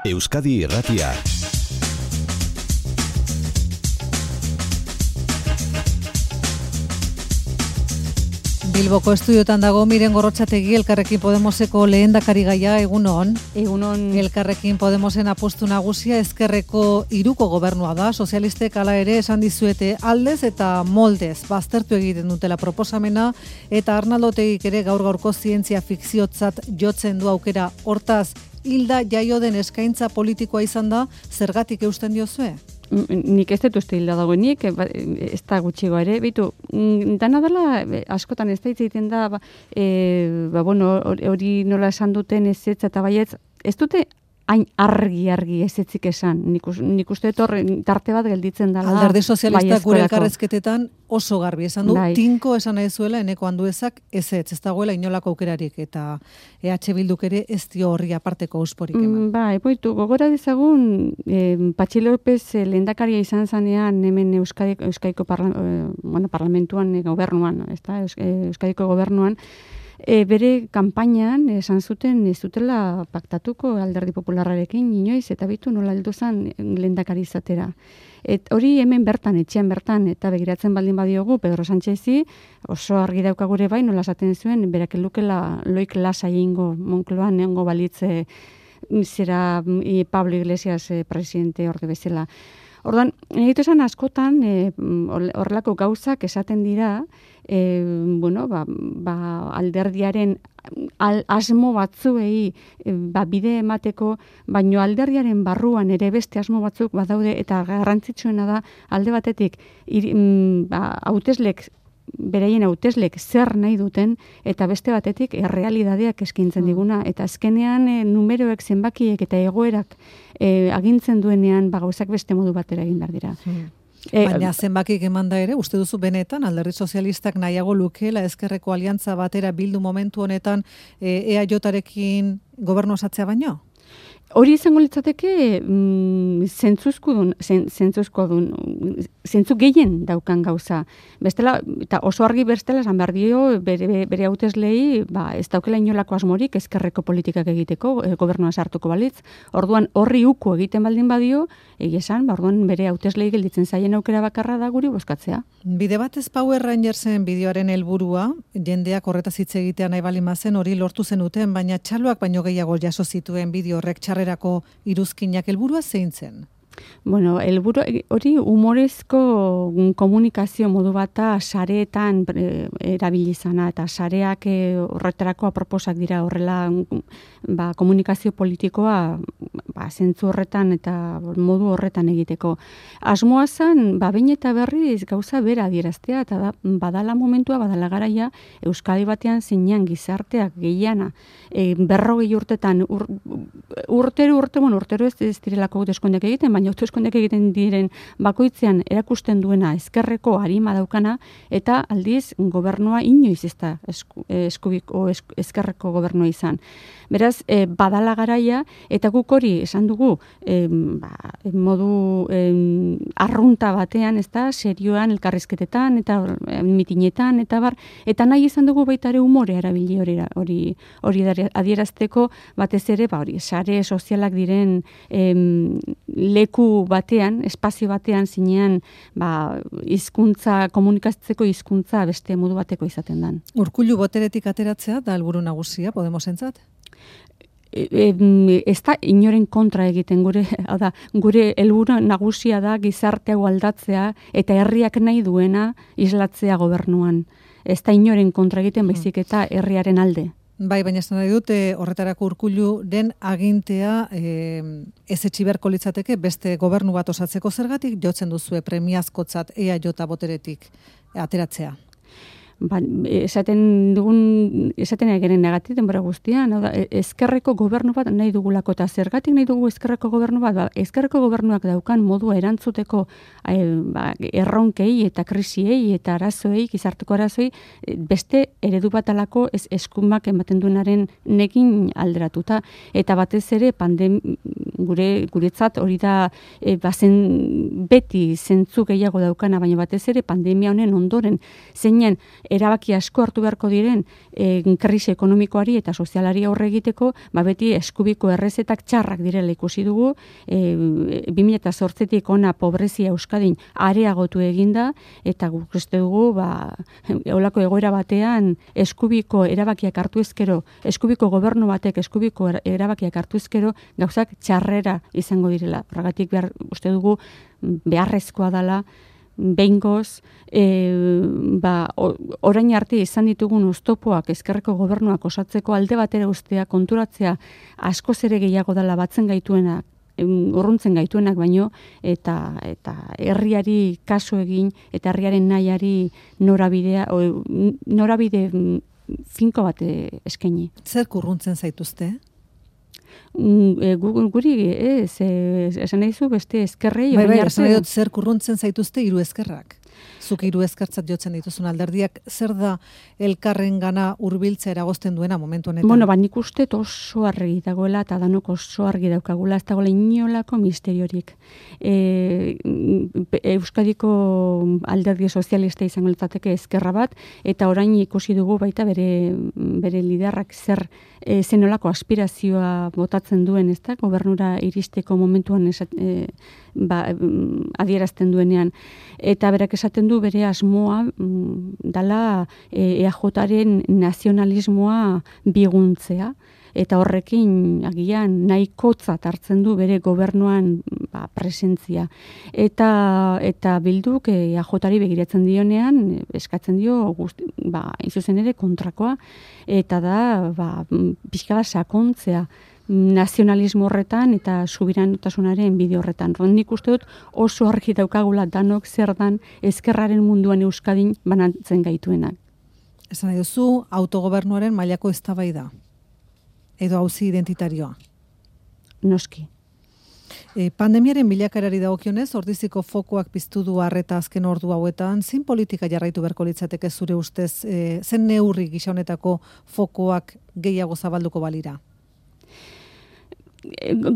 Euskadi Irratia. Bilboko estudiotan dago Miren Gorrotxategi, Elkarrekin Podemoseko lehendakarigaia, egunon. Egunon. Elkarrekin Podemosen apustu nagusia ezkerreko hiruko gobernua da, sozialistek hala ere esan dizuete aldez eta moldez baztertu egiten dutela proposamena, eta Arnaldo Otegik ere gaur-gaurko zientzia fikziotzat jotzen du aukera. Hortaz, hilda jaio den eskaintza politikoa izan da, zergatik eusten diozue? Nik ez dut uste hilda dagoenik, ez da gutxigo ere. Bitu, dana dela, askotan ez da hitz egiten da, hori nola esan duten ez eta baietz, ez dute hain argi ezetzik esan. Nik uste dut tarte bat gelditzen dela. Alderdi sozialistak gure elkarrezketetan oso garbi esan du, tinko esan nahi zuela eneko Anduezak ez dagoela inolako aukerarik, eta EH Bilduk ere ez dio horri aparteko ausporik eman. Gogora dezagun, Patxi López lehendakaria izan zanean hemen Euskadiko parlamentuan, gobernuan, Euskadiko gobernuan, bere kanpainan esan zuten ez dutela paktatuko Alderdi Popularrarekin inoiz, eta bitu nola heldu zen lehendakari izatera. Hori hemen bertan, etxean bertan, eta begiratzen baldin badiogu, Pedro Sánchezi oso argi dauka gure bai, nola esaten zuen, berak elukela loik lasai ingo Moncloan egongo balitze zera Pablo Iglesias presidente orde bezala. Ordan, egitu esan askotan, horrelako gauzak esaten dira, alderdiaren asmo batzuei bide emateko, baino alderdiaren barruan ere beste asmo batzuk badaude, eta garrantzitsuena da alde batetik hauteslek, beraien hauteslek zer nahi duten, eta beste batetik errealidadeak eskintzen diguna, eta azkenean numeroek, zenbakiek eta egoerak agintzen duenean gauzak beste modu batera egin behar dira. Baina zenbakik eman da ere, uste duzu benetan, Alderdi Sozialistak nahiago lukeela ezkerreko aliantza batera bildu momentu honetan EAJarekin gobernu osatzea baino? Hori izango litzateke zentzu gehien daukan gauza. Bestela, eta oso argi bestela esan behar dio bere hauteslei ez daukela inolako asmorik ezkerreko politikak egiteko, gobernua sartuko balitz. Orduan horri uko egiten baldin badio, esan, orduan bere hauteslei gelditzen zaien aukera bakarra da guri bozkatzea. Bide batez Power Rangersen bideoaren helburua, jendeak horretaz hitz egitea nahi baldin bazen hori lortu zenuten, baina txaloak baino gehiago jaso zituen bideo horrek txarrerako iruzkinak, helburua zein zen? Bueno, helburu hori humorezko komunikazio modu bata sareetan erabili izana, eta sareak horretarako aproposak dira, horrela komunikazio politikoa zentzu horretan eta modu horretan egiteko. Asmoa zen, behin eta berriz gauza bera adieraztea, eta badala momentua, badala garaia, Euskadi batean zeinan gizarteak gehiana, 40 urtetan, urtero ez direlako hauteskundeak egiten, baina hauteskundeak egiten diren bakoitzean erakusten duena ezkerreko arima daukana, eta aldiz gobernua inoiz ez da ezkerreko gobernua izan. Beraz, badala garaia, eta guk hori esan dugu modu arrunta batean, ez da, serioan, elkarrizketetan, eta mitinetan, eta nahi izan dugu baita ere humorea erabili hori adierazteko, batez ere, sare sozialak diren leku batean, espazio batean zinean, hizkuntza, komunikatzeko hizkuntza beste modu bateko izaten dan. Urkullu boteretik ateratzea da helburu nagusia Podemosentzat? Ez da inoren kontra egiten gure helburu nagusia da gizarte hau aldatzea eta herriak nahi duena islatzea gobernuan. Ez da inoren kontra egiten, baizik eta herriaren alde. Bai, baina esan nahi dute horretarako Urkulluren agintea ez etxi beharko litzateke beste gobernu bat osatzeko, zergatik jotzen duzue premiazkotzat EAJ boteretik ateratzea? Esaten egeren negatik denbora guztian, ezkerreko gobernu bat nahi dugulako, eta zergatik nahi dugu ezkerreko gobernu bat, ezkerreko gobernuak daukan modua erantzuteko erronkei eta krisiei eta arazoei, gizarteko arazoei, beste eredu bat alako eskumak ematen duenaren nekin alderatuta, eta batez ere guretzat hori da beti zentzu gehiago daukana, baina batez ere pandemia honen ondoren zeinen erabaki asko hartu beharko diren krisi ekonomikoari eta sozialari aurre egiteko, beti eskubiko errezetak txarrak direla ikusi dugu, 2008tik ona pobrezia Euskadin areagotu eginda, eta guk uste dugu, eolako egoera batean eskubiko erabakiak hartu ezkero, eskubiko gobernu batek eskubiko erabakiak hartu ezkero, gauzak txarrera izango direla. Horregatik uste dugu beharrezkoa dela, behingoz, orain arte izan ditugun oztopoak ezkerreko gobernuak osatzeko alde batera ustea, konturatzea askoz ere gehiago dela batzen gaituenak, urruntzen gaituenak baino, eta herriari kasu egin, eta herriaren nahiari norabide finko bat eskaini. Zer urruntzen zaituzte? Guri esan nahi zu beste ezkerrei. Esan nahi dut zer urruntzen zaituzte hiru ezkerrak. Zuk hiru ezkertzat jotzen dituzun alderdiak, zer da elkarren gana hurbiltzea eragozten duena momentu honetan? Nik uste oso argi dagoela eta danok oso argi daukagula, ez dagoela inolako misteriorik. Euskadiko alderdi sozialista izango litzateke ezkerra bat, eta orain ikusi dugu baita bere liderrak zenolako aspirazioa botatzen duen, ez da, gobernura iristeko momentuan adierazten duenean. Eta berak esaten du bere asmoa dala EAJaren nazionalismoa biguntzea, eta horrekin agian nahikotzat hartzen du bere gobernuan presentzia. Eta Bilduk EAJari begiratzen dionean, eskatzen dio, izuzen ere kontrakoa, eta da, pixkala sakontzea nazionalismo horretan eta subiranotasunaren bide horretan. Nik uste dut oso argi daukagula danok zer dan ezkerraren munduan Euskadin banatzen gaituenak. Esan nahi duzu, autogobernuaren mailako eztabaida edo auzi identitarioa? Noski. Pandemiaren bilakaerari dagokionez, ordiziko fokoak piztu du arreta azken ordu hauetan, zein politika jarraitu beharko litzateke zure ustez, zen neurri gisa honetako fokoak gehiago zabalduko balira?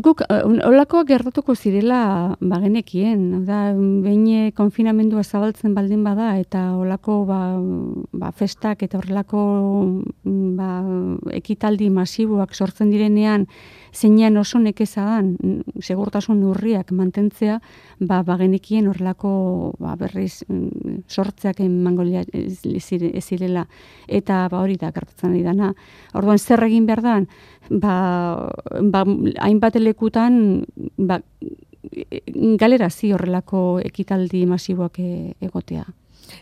Guk, olakoak gertatuko zirela bagenekien, behin konfinamendua zabaltzen baldin bada, eta olako festak eta horrelako ekitaldi masiboak sortzen direnean, zeinean oso nekezadan segurtasun neurriak mantentzea, bagenekien horrelako berriz sortzeak emango ez zirela, eta hori da gertatzen ari dana. Orduan zer egin behar da, hainbat lekutan galerazi horrelako ekitaldi masiboak egotea.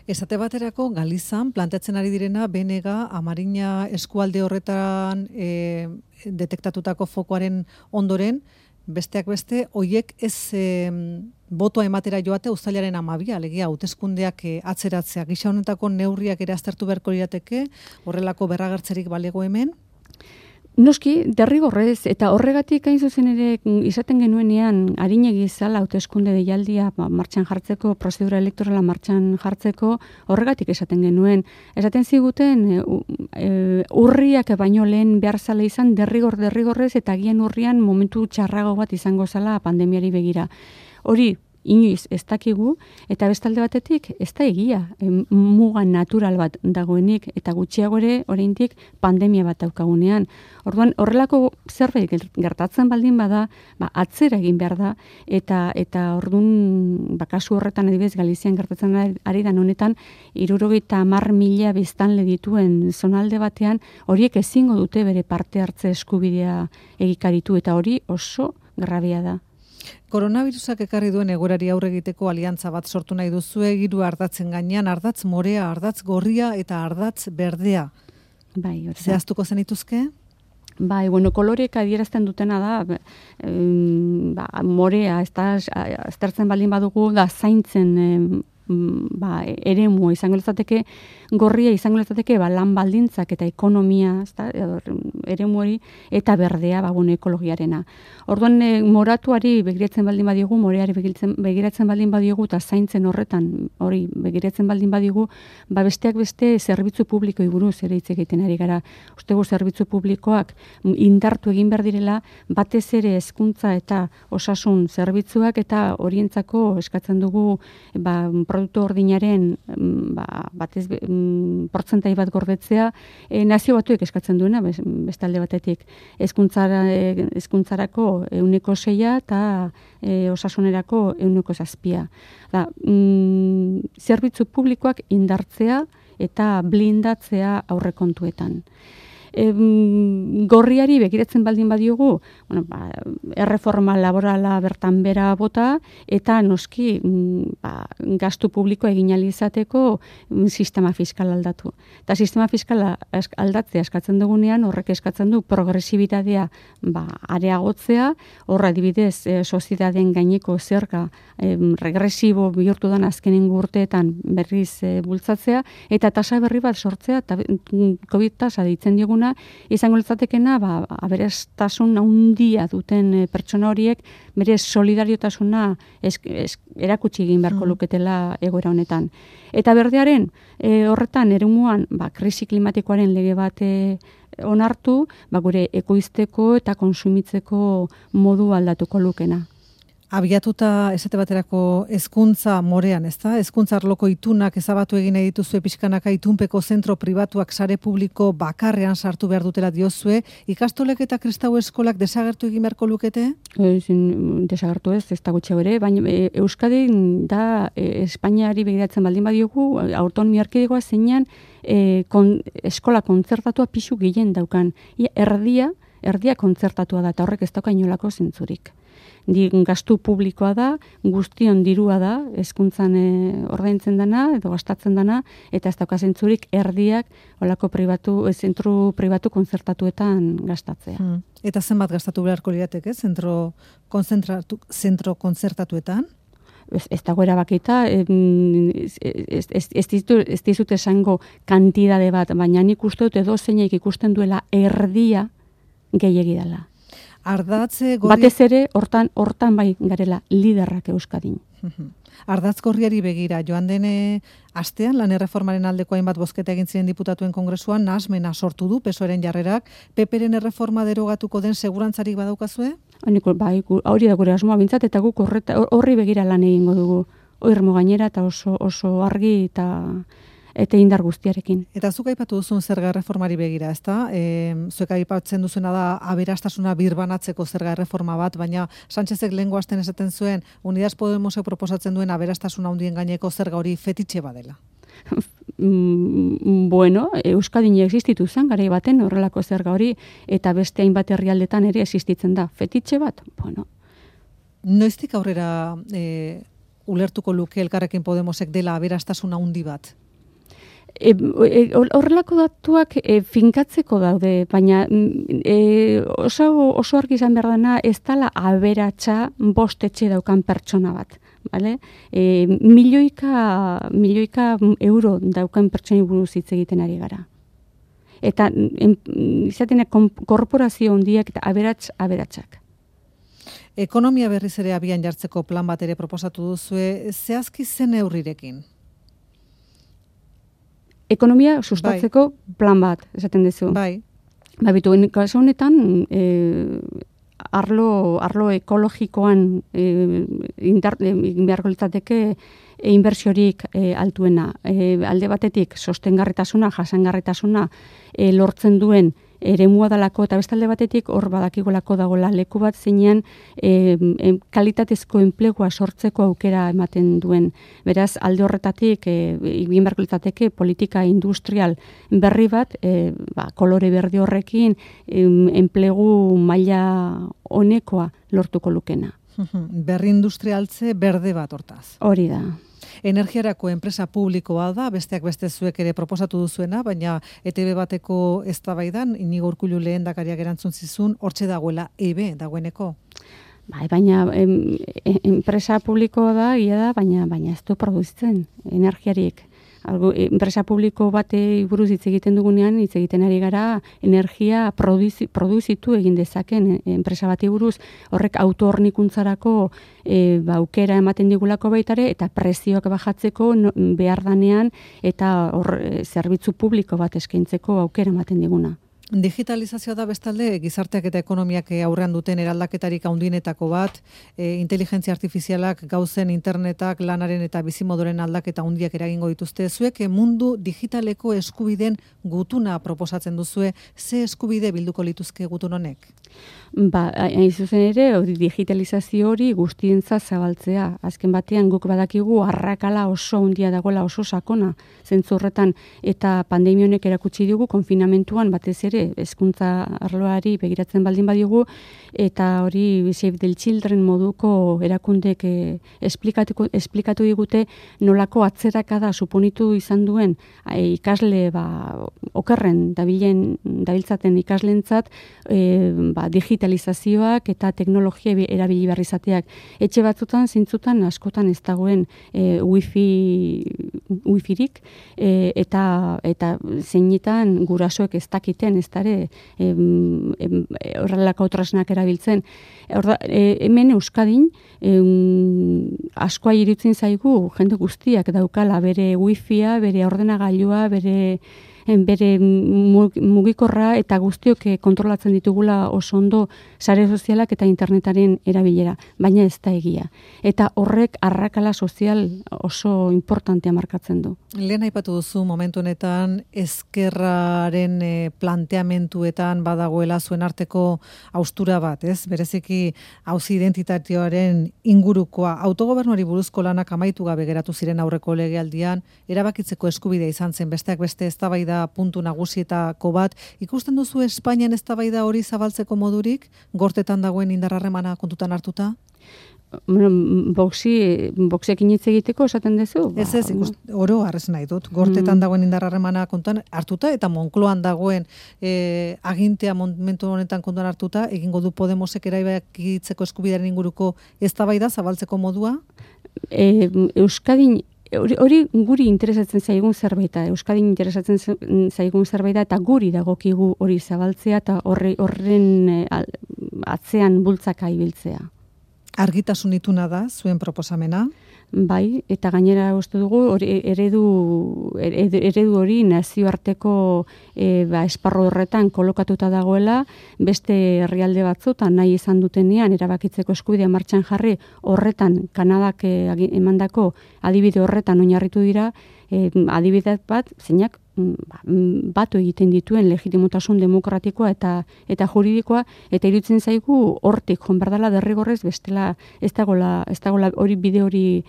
Esate baterako, Galizan planteatzen ari direna, benega, Amarina eskualde horretan detektatutako fokoaren ondoren, besteak beste, hoiek ez botoa ematera joate uztailaren 12, alegia, hauteskundeak atzeratzea. Gisa honetako neurriak ere aztertu beharko lirateke, horrelako berragertzerik balego hemen? Noski, derrigorrez, eta horregatik hain zuzen ere izaten genuenean arinegi zala hauteskunde deialdia martxan jartzeko, prozedura elektorala martxan jartzeko, horregatik esaten genuen. Esaten ziguten urriak baino lehen behar zala izan derrigorrez eta agian urrian momentu txarrago bat izango zala pandemiari begira. Hori, inoiz ez dakigu, eta bestalde batetik ez da egia, muga natural bat dagoenik, eta gutxiago ere oraindik pandemia bat daukagunean. Orduan, horrelako zerbait gertatzen baldin bada, atzera egin behar da, eta orduan, kasu horretan adibidez Galizian gertatzen ari da honetan, 70.000 biztanle dituen zonalde batean, horiek ezingo dute bere parte hartze eskubidea egikaritu, eta hori oso grabea da. Koronavirusak ekarri duen egoerari aurre egiteko aliantza bat sortu nahi duzue, 3 ardatzen gainean, ardatz morea, ardatz gorria eta ardatz berdea. Bai, zehaztuko zenituzke? Bai, kolorek adierazten dutena da, morea, aztertzen baldin badugu, da zaintzen eremua izango litzateke, gorria izango litzateke lan baldintzak eta ekonomia, eremu hori, eta berdea ekologiarena. Orduan moratuari begiratzen baldin badiogu, moreari begiratzen baldin badiogu, eta zaintzen horretan hori begiratzen baldin badiogu, besteak beste zerbitzu publikoi buruz ere hitz egiten ari gara. Ustegu zerbitzu publikoak indartu egin behar direla, batez ere hezkuntza eta osasun zerbitzuak eta horientzako eskatzen dugu produktu ordinaren batez portzentai bat gordetzea, nazio batuek eskatzen duena, beste alde batetik. Hezkuntzarako 6% eta osasunerako 7%. Zerbitzu publikoak indartzea eta blindatzea aurrekontuetan. Gorriari begiratzen baldin badiogu, erreforma laborala bertan bera bota, eta noski gastu publiko egin ahal izateko sistema fiskala aldatu. Eta sistema fiskala aldatzea eskatzen dugunean, horrek eskatzen du progresibitatea areagotzea, horra adibidez sozietateen gaineko zerga regresibo bihurtu den azkenengo urteetan berriz bultzatzea, eta tasa berri bat sortzea, eta COVID tasa deitzen dioguna, izango litzatekena, aberastasun handia duten pertsona horiek, bere solidariotasuna erakutsi egin beharko luketela egoera honetan. Eta berdearen, horretan, eremuan, krisi klimatikoaren lege bat onartu, gure ekoizteko eta konsumitzeko modu aldatuko lukena. Abiatuta esate baterako hezkuntza morean, ezta? Hezkuntza arloko itunak ezabatu egin nahi dituzue pixkanaka itunpeko zentro pribatuak sare publiko bakarrean sartu behar dutela diozue, ikastolek eta kristau eskolak desagertu egin beharko lukete? Desagertu ez da gutxe bere, baina Euskadi da Espainiari begiratzen baldin badiogu, autonomia erkidegoa zeinan eskola kontzertatua pixu gehien daukan. Erdia kontzertatua da, eta horrek ez dauka inolako zentzurik. Gastu publikoa da, guztion dirua da, hezkuntzan ordaintzen dana, edo gastatzen dana, eta ez dauka zentzurik erdiak olako zentru pribatu kontzertatuetan gastatzea. Eta zenbat gastatu beharko lirateke, zentro kontzertatuetan? Ez dago erabakita, ez dizut esango kantidade bat, baina nik uste dut edo zeinek ikusten duela erdia gehiegi dela. Batez ere, hortan bai garela liderrak Euskadin. Ardatz gorriari begira, joan den astean, lan erreformaren aldeko hainbat bozketa egin ziren diputatuen kongresuan, nahasmena sortu du PSOEren jarrerak, PP-ren erreforma derogatuko den segurantzarik badaukazue? Hori da gure asmoa bintzat, eta guk horri begira lan egingo dugu. Oirmo gainera eta oso argi eta indar guztiarekin. Eta zuk aipatu duzun zerga erreformari begira, ezta? Zuek aipatzen duzuna da aberastasuna birbanatzeko zerga erreforma bat, baina Sánchezek lehengo astean esaten zuen, Unidas Podemosek proposatzen duen aberastasuna handien gaineko zerga hori fetitxe badela. Euskadin existitu zen garai baten horrelako zerga hori, eta beste hainbat herrialdetan ere existitzen da. Fetitxe bat? Noiztik aurrera ulertuko luke Elkarrekin Podemosek dela aberastasuna handi bat? Horrelako datuak finkatzeko daude, baina oso argi izan behar dena ez dela aberatsa 5 etxe daukan pertsona bat. Milioika euro daukan pertsoni buruz hitz egiten ari gara. Eta izatenak korporazio handiak eta aberatsak. Ekonomia berriz ere abian jartzeko plan bat ere proposatu duzue, zehazki zen neurrirekin? Ekonomia sustatzeko plan bat, esaten duzu. Bai. Kasu honetan, arlo ekologikoan beharko litzateke inbertsiorik altuena. Alde batetik, sostengarritasuna, jasangarritasuna lortzen duen eremua dalako, eta bestalde batetik hor badakigolako dagoela leku bat zeinean kalitatezko enplegua sortzeko aukera ematen duen. Beraz, alde horretatik egin beharko litzateke politika industrial berri bat, kolore berde horrekin enplegu maila honekoa lortuko lukena. Berri industrialtze berde bat hortaz. Hori da. Energiarako enpresa publikoa da, besteak beste zuek ere proposatu duzuena, baina ETB bateko eztabaidan Inigo Urkullu lehendakariak erantzun zizun, hortxe dagoela EB dagoeneko. Baina enpresa publikoa da, baina ez du produzitzen energiarik. Enpresa publiko bate buruz hitz egiten dugunean, hitz egiten ari gara energia produzitu egin dezaken enpresa bati buruz, horrek autohornikuntzarako aukera ematen digulako baitare, eta prezioak bajatzeko behar danean, eta zerbitzu publiko bat eskaintzeko aukera ematen diguna. Digitalizazioa da bestalde, gizarteak eta ekonomiak aurrean duten eraldaketarik handienetako bat, inteligentzia artifizialak, gauzen internetak, lanaren eta bizimodoren aldaketa handiak eragingo dituzte. Zuek mundu digitaleko eskubideen gutuna proposatzen duzue, ze eskubide bilduko lituzke gutun honek? Hain zuzen ere, digitalizazio hori guztientzat zabaltzea. Azken batean guk badakigu arrakala oso handia dagoela, oso sakona zentzu horretan, eta pandemia honek erakutsi dugu konfinamentuan batez ere hezkuntza arloari begiratzen baldin badigu, eta hori Save the Children moduko erakundek esplikatu digute nolako atzerakada suponitu izan duen ikasle okerren dabiltzaten ikaslentzat digitalizazioak eta teknologia erabili behar izateak. Etxe batzutan, zintzutan, askotan ez dagoen wifirik, eta zeinetan gurasoek ez dakiten, ez dare, horrelako tresnak erabiltzen. Hemen Euskadin, askoa irutzen zaigu, jende guztiak daukala, bere wifia, bere ordenagailua, bere mugikorra, eta guztiok kontrolatzen ditugula oso ondo sare sozialak eta internetaren erabilera, baina ez da egia. Eta horrek arrakala sozial oso importantea markatzen du. Lehen aipatu duzu momentu honetan ezkerraren planteamentuetan badagoela zuen arteko haustura bat, ez? Bereziki auzi identitarioaren ingurukoa, autogobernuari buruzko lanak amaitu gabe geratu ziren aurreko legealdian, erabakitzeko eskubidea izan zen besteak beste eztabaida puntu nagusietako bat. Ikusten duzu Espainian eztabaida hori zabaltzeko modurik, gortetan dagoen indarrarremana kontutan hartuta? Boxekin hitz egiteko esaten duzu? Ez, oro arrez nahi dut. Gortetan dagoen indarrarremana kontutan hartuta, eta Moncloan dagoen agintea momentu honetan kontutan hartuta, egingo du Podemosek erabakitzeko eskubidearen inguruko eztabaida zabaltzeko modua? Euskadin hori guri interesatzen zaigun zerbaita, Euskadin interesatzen zaigun zerbaita, eta guri dagokigu hori zabaltzea eta horren atzean bultzaka ibiltzea. Argitasun ituna da zuen proposamena? Bai, eta gainera uste dugu eredu hori nazioarteko esparru horretan kolokatuta dagoela, beste herrialde batzutan nahi izan dutenean erabakitzeko eskubidea martxan jarri, horretan Kanadak emandako adibide horretan oinarritu dira, adibide bat zeinak batu egiten dituen legitimotasun demokratikoa eta juridikoa, eta iruditzen zaigu hortik joan behar dela derrigorrez bestela ez dagoela hori bide hori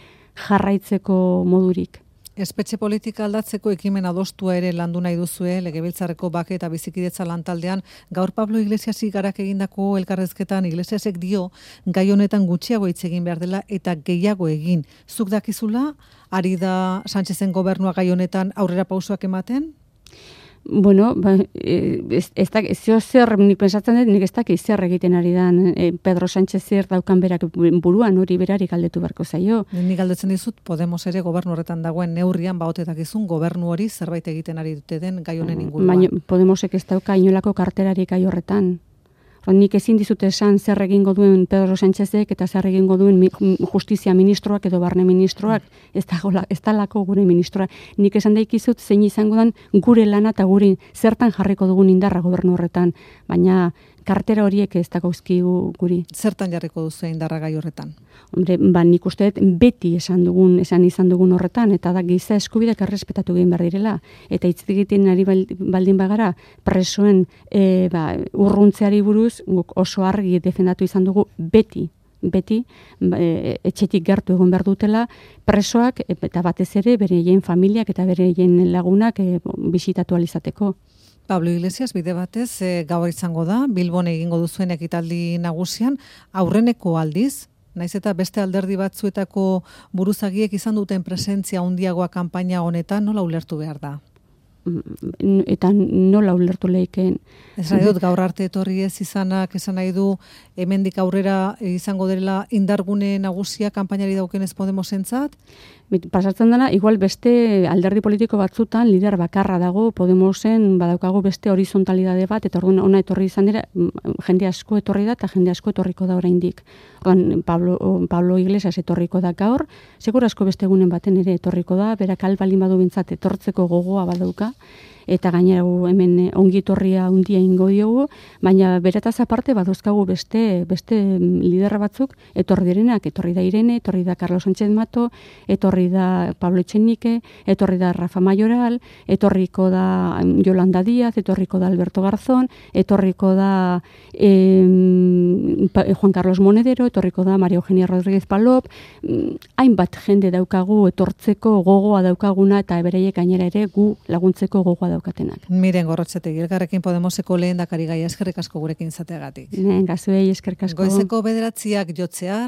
jarraitzeko modurik. Espetxe politika aldatzeko ekimen adostua ere landu nahi duzue, Legebiltzarreko bake eta bizikidetza lantaldean. Gaur Pablo Iglesiasi garak egindako elkarrezketan Iglesiasek dio gai honetan gutxiago hitz egin behar dela eta gehiago egin. Zuk dakizula, ari da Sánchezen gobernua gai honetan aurrera pausoak ematen? Bueno, zer nik pensatzen dut, nik ez dakit zer egiten ari dan Pedro Sánchez zer daukan berak buruan, hori berari galdetu beharko zaio. Nik galdetzen dizut, Podemos ere gobernu horretan dagoen neurrian baote dakizun gobernu hori zerbait egiten ari dute den gai honen inguruan. Baina Podemosek ez dauka inolako karterarik gai horretan. Nik ezin dizute esan zer egingo duen Pedro Sánchezek eta zer egingo duen justizia ministroak edo barne ministroak, ez dalako gure ministroa. Nik esan daikizut zein izango den gure lana eta gure zertan jarriko dugun indarra gobernu horretan, baina kartera horiek ez dakauzkigu guri. Zertan jarriko duzu indarra gai horretan? Hombre, nik uste dut beti esan izan dugun horretan, eta da giza eskubideak errespetatu egin behar direla. Eta hitz egiten ari baldin bagara presoen urruntzeari buruz, guk oso argi defendatu izan dugu beti etxetik gertu egon behar dutela presoak, eta batez ere bereien familiak eta bereien lagunak bisitatu alizateko. Pablo Iglesias, bide batez, gaur izango da, Bilbon egingo duzuen ekitaldi nagusian, aurreneko aldiz, naiz eta beste alderdi batzuetako buruzagiek izan duten presentzia handiagoa kanpaina honetan, nola ulertu behar da? eta nola ulertu leikeen. Ez nahi dut gaur arte etorri ez izanak, esan nahi du hemendik aurrera izango dela indargune nagusia kanpainari daukenez Podemosentzat? Pasatzen dena, igual beste alderdi politiko batzutan lider bakarra dago, Podemosen badaukagu beste horizontalidade bat, eta orduan ona etorri izan dira, jende asko etorri da, eta jende asko etorriko da oraindik. Pablo Iglesias etorriko da gaur, segur asko beste egunen baten ere etorriko da, berak albaldin badu bintzat etortzeko gogoa badauka, eta gainera hemen ongi etorria handia ingo diogu, baina beretaz aparte baduzkagu beste liderra batzuk etorri direnak, etorri da Irene, etorri da Carlos Sánchez Mato, etorri da Pablo Echenique, etorri da Rafa Mayoral, etorriko da Yolanda Díaz, etorriko da Alberto Garzón, etorriko da Juan Carlos Monedero, etorriko da María Eugenia Rodríguez Palop, hainbat jende daukagu etortzeko gogoa daukaguna, eta beraiek gainera ere gu laguntzeko gogoa daukatenak. Miren Gorrotxategi, Elkarrekin Podemoseko lehendakari gaia, eskerrik asko gurekin izateagatik. Gazuei eskerrik asko. Goizeko 9:00 jotzear.